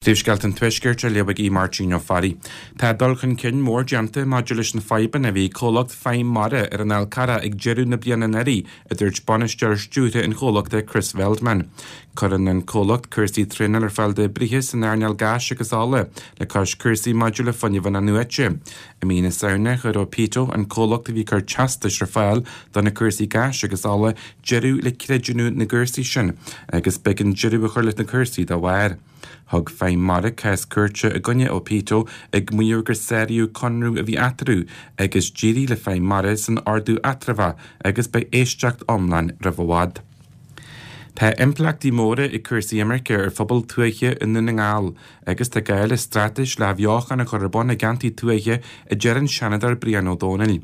Príomhscéalta an Tuaiscirt á léamh ag Aodh Máirtín Ó Fearraigh. Tá dul chun cinn mór déanta maidir leis na fadhbanna a bhí ag comhlacht Feidhm Mara ar an Fhál Carrach ag deireadh na bliana anuraidh, a dúirt bainisteoir stiúrtha an chomhlachta Chris Veldman. Cuireann an comhlacht cúrsaí traenála ar fáil d'oibrithe san earnáil gáis agus ola, le cois cúrsaí maidir le fuinneamh in-athnuaite. I mí na Samhna, chuir Opito, an comhlacht a bhí ag cur teastais ar fáil do na cúrsaí gáis agus ola, deireadh le creidiúnú na gcúrsaí sin agus b'éigean deireadh a chur leis na cúrsaí dá bharr. Thug Feidhm Mara cás cúirte i gcoinne Opito ag maíomh gur sáraíodh conradh a bhí eatarthu agus d'éirigh le Feidhm Mara san ordú eatramhach agus beidh éisteacht iomlán roimh i bhfad. Tá impleachtaí móra ag cúrsaí imirce ar phobail tuaithe i nDún na nGall agus tá gá le straitéis le hathbheochan a chur ar bun i gceantair tuaithe a deir an Seanadóir Brian Ó Domhnaill.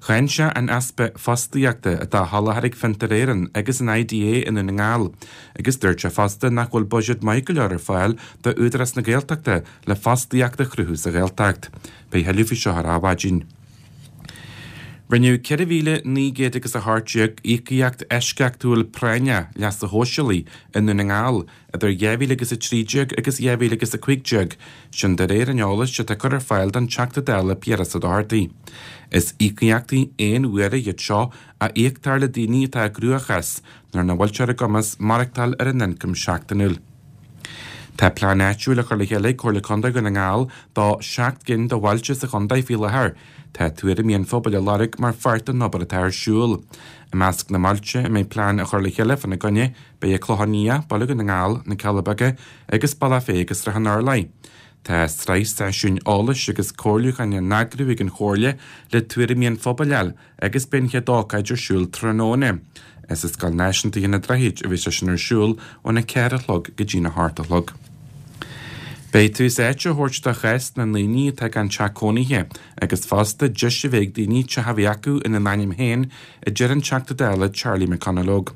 Cháin sé an easpa fostaíochta atá á sholáthar ag Fiontar Éireann agus an IDA i nDún na nGall Agus dúirt sé fosta nach bhfuil buiséad maith go leor ar fáil do Údarás na Gaeltachta le fostaíocht a chruthú sa Ghaeltacht. Beidh thuilleadh faoi seo ar Adhmhaidin. Rinneadh 4,900 agus 18 íocaíocht eisceachtúil práinneach leasa shóisialaigh i nDún na nGall idir 2000 agus 13 agus 2000 agus 15, sin de réir an eolais atá curtha ar fáil don Teachta Dála Piaras Ó Dochartaigh. Is íocaíochtaí aon uaire iad seo a íoctar le daoine atá i gcruachás nuair nach bhfuil sé ar a gcumas maireachtáil ar a n-ioncam seachtainiúil. Tá plean áitiúil á chur le chéile ag Comhairle Contae Dhún na nGall do sheacht gcinn de bhailte sa chontae faoi láthair. Tá tuairimí an phobail á lorg mar pháirt den obair atá ar siúl. I measc na mbailte a mbeidh plean á chur le chéile fána gcoinne beidh An Clochán Liath, Baile Dhún na nGall, Na Cealla Beaga agus Bealach Féich agus Srath an Urláir. Tá sraith seisiúin eolais agus comhairliúcháin á n-eagrú ag an Chomhairle le tuairimí an phobail a fháil agus beidh an chéad ócáid ar siúl tráthnóna. Is i Scoil Náisiúnta an Droichid a bheidh sé sin ar siúl óna 4 a chlog go dtína 8 a chlog. Beidh tús áite á thabhairt do chás na ndaoine atá gan teach cónaithe agus fosta deis a bheith ag daoine teach a bheith acu ina n-ainm féin, a deir an Teachta Dála Charlie McConalogue.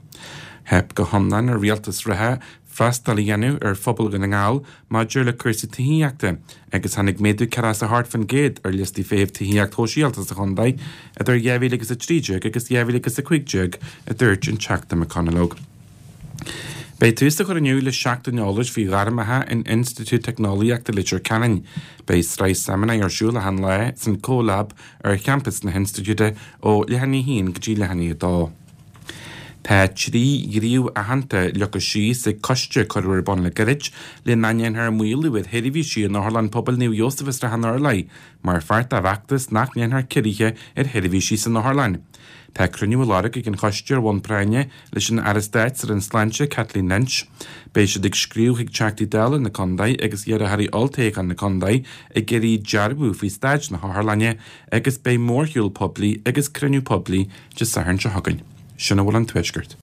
Theip go hiomlán ar rialtas reatha freastal a dhéanamh ar phobal Dhún na nGall maidir le cúrsaí tithíochta agus tháinig méadú 48% ar liostaí feithimh tithíocht shóisialta sa chontae idir 2000 agus 13 agus 2000 agus 15, a dúirt an Teachta McConalogue. Beidh tús á chur inniu le seachtain eolais faoi ghairmeacha in Institiúid Teicneolaíochta Leitir Ceanainn. Beidh sraith seimineár ar siúl achan lá san CoLab ar champas na hinstitiúide ó leath i ndiaidh a haon go dtí leath i ndiaidh a dó. Tá 3 ghníomh aitheanta leagtha síos ag coiste a cuireadh ar bun le gairid le nach ndéanfar maolú ar sheirbhísí in Otharlann Pobail Naomh Iósaf i Srath an Urláir mar pháirt dá bhfeachtas nach ndéanfar ciorruithe ar sheirbhísí san otharlann. Tá cruinniú á lorg ag an choiste ar bhonn práinne leis an Aire Stáit sa Roinn Sláinte, Kathleen Lynch. Beidh siad ag scríobh chuig Teachtaí Dála na contae agus iarrthóirí olltoghcháin na contae ag iarraidh dearbhú faoi staid na hotharlainne agus beidh mórshiúl poiblí agus cruinniú poiblí Dé Sathairn seo chugainn. Sin a bhfuil ón Tuaisceart.